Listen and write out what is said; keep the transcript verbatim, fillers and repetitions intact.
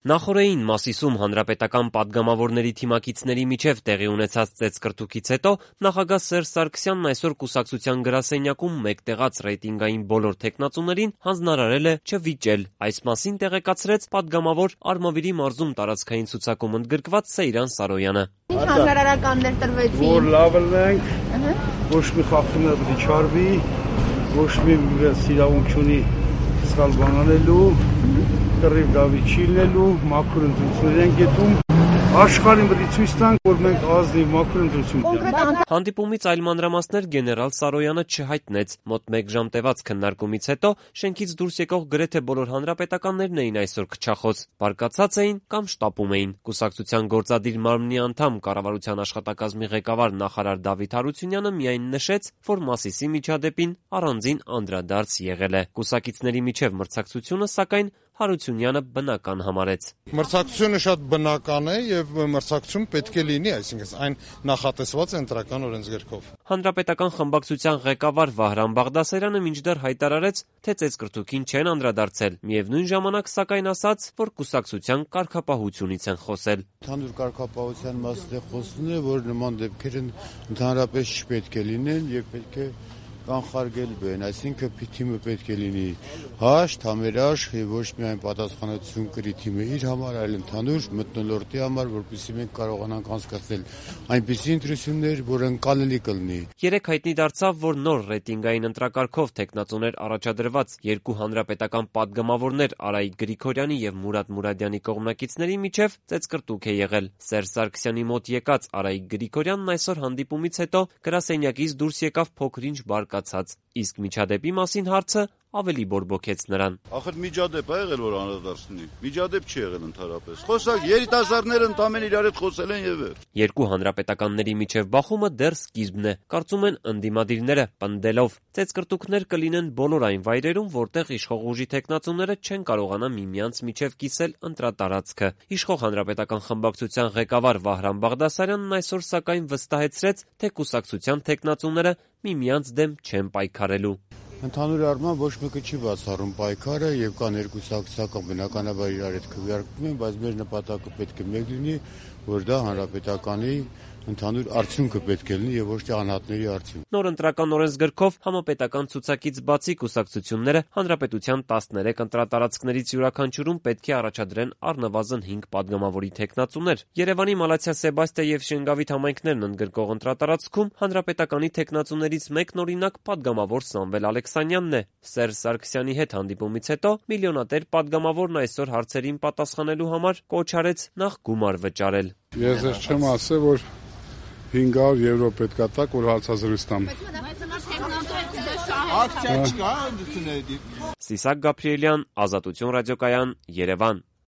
Նախօրեին Մասիսում հանրապետական պատգամավորների թիմակիցների միջև տեղի ունեցած ծեծկռտուքից հետո նախագահ Սերժ Սարգսյանն այսօր կուսակցության գրասենյակում մեկտեղած ռեյտինգային բոլոր թեկնածուներին հանձնարարել է չվիճել։ Այս մասին տեղեկացրեց պատգամավոր Արմավիրի մարզում տարածքային ցուցակում ընդգրկված Սեյրան Սարոյանը։ Ինչ հանրարարականներ տրվեցին։ Որ լավ ենք, ոչ մի խախտումներ պետք չարվի, ոչ մի սիրավունք չունի սխալ բան անելու, կռիվ դավիճ չի լինելու, մաքուր ընտրություններ են գետում, աշխարհին պետք է ցույց տանք, որ մենք ազնիվ մաքուր ընտրություն ունենք։ Հանդիպումից այլ մանրամասներ գեներալ Սարոյանը չհայտնեց։ Մոտ մեկ ժամ տևած քննարկումից հետո շենքից դուրս եկող գրեթե բոլոր հանրապետականներն էին այսօր քչախոս, բարկացած էին կամ շտապում էին։ Կուսակցության գործադիր մարմնի անդամ, կառավարության աշխատակազմի ղեկավար նախարար Դավիթ Հարությունյանը միայն նշեց, որ Մասիսի միջադեպին առանձին անդրադարձ եղել է։ Կուսակիցների միջև մրցակցությունը, սակայն, Հարությունյանը բնական համարեց։ Մրցակցությունը շատ բնական է եւ մրցակցություն պետք է լինի, այսինքն այն նախատեսված է ընտրական օրենսգրքով։ Հանրապետական խմբակցության ղեկավար Վահրամ Բաղդասարյանը մինչդեռ հայտարարեց, թե ծեծկռտուքին չեն անդրադարձել։ Միևնույն ժամանակ, սակայն, ասաց, որ կուսակցության կարգապահությունից են խոսել։ Ընդհանուր կարգապահության մասն է խոսում է, որ նման դեպքեր ընդհանրապես չպետք է լինեն եւ պետք է կանխարգել բեն, այսինքն թիմը պետք է լինի հաշտ, համերաշխ եւ ոչ միայն պատասխանատվություն կրի թիմը իր համար, այլ ընդհանուր մթնոլորտի համար, որպեսզի մենք կարողանանք անցկացնել այնպիսի ընտրություններ, որ ընկալելի կլինի։ Երեք հայտնի դարձավ, որ նոր ռեյտինգային ընտրակարգով թեկնածուներ առաջադրված երկու հանրապետական պատգամավորներ Արայիկ Գրիգորյանի եւ Մուրադ Մուրադյանի կողմնակիցների միջև ծեծկռտուք է եղել։ Սերժ Սարգսյանի մոտ եկած Արայիկ Գրիգորյանն այսօր հանդիպումից հետո գրասենյակից դուրս եկավ փոքր-ինչ բարկացած, իսկ միջադեպի մասին հարցը ավելի բորբոքեց նրան։ Ախր միջադեպ ա եղել, որ անդրադարձնի։ Միջադեպ չի եղել ընդհանրապես։ Խոսակ երիտասարդները ընդամենը իրար հետ խոսել են եւ վերջ։ Երկու հանրապետականների միջև բախումը դեռ սկիզբն է, կարծում են ընդդիմադիրները, պնդելով, ծեծկռտուքներ կլինեն բոլոր այն վայրերում, որտեղ իշխող ուժի թեկնածուները չեն կարողանա միմյանց միջև կիսել ընտրատարածքը։ Իշխող հանրապետական խմբակցության ղեկավար Վահրամ Բաղդասարյանն այսօր սակայն վստահեցրեց, թե կուսակցության թեկնածուները միմյանց դեմ չեն պայքարելու։ Ընդհանուր առմամբ ոչ մեկը չի բացառում պայքարը եւ կան երկու սակսական բնականաբար իրար հետ քվեարկվում են, բայց մեր նպատակը պետք է մեկ լինի, որ դա հանրապետականի ընդհանուր արդյունքը պետք է լինի եւ ոչ թե անհատների արդյունք։ Նոր ընտրական օրենսգրքով համապետական ցուցակից բացի կուսակցությունները հանրապետության տասներեք ընտրատարածքներից յուրաքանչյուրում պետք է առաջադրեն առնվազն հինգ պատգամավորի թեկնածուներ։ Երևանի Մալաթիա Սեբաստիա եւ Շենգավիթ համայնքներն ընդգրկող ընտրատարածքում հանրապետականի թեկնածուներից մեկն օրինակ պատգամավոր Սամվել Ալեքսանյանն է։ Սերժ Սարգսյանի հետ հանդիպումից հետո միլիոնատեր պատգամավորն այսօր հարցերին պատասխանելու համար կոչ արեց նախ գումար վճարել։ Ես չեմ ասել, որ հինգ հարյուր եվրո պետք է տակ, որ հարցազրույց տամ։ Ակցիա չկա, ընդունելի։ Սիսակ Գաբրիելյան, Ազատություն ռադիոկայան, Երևան։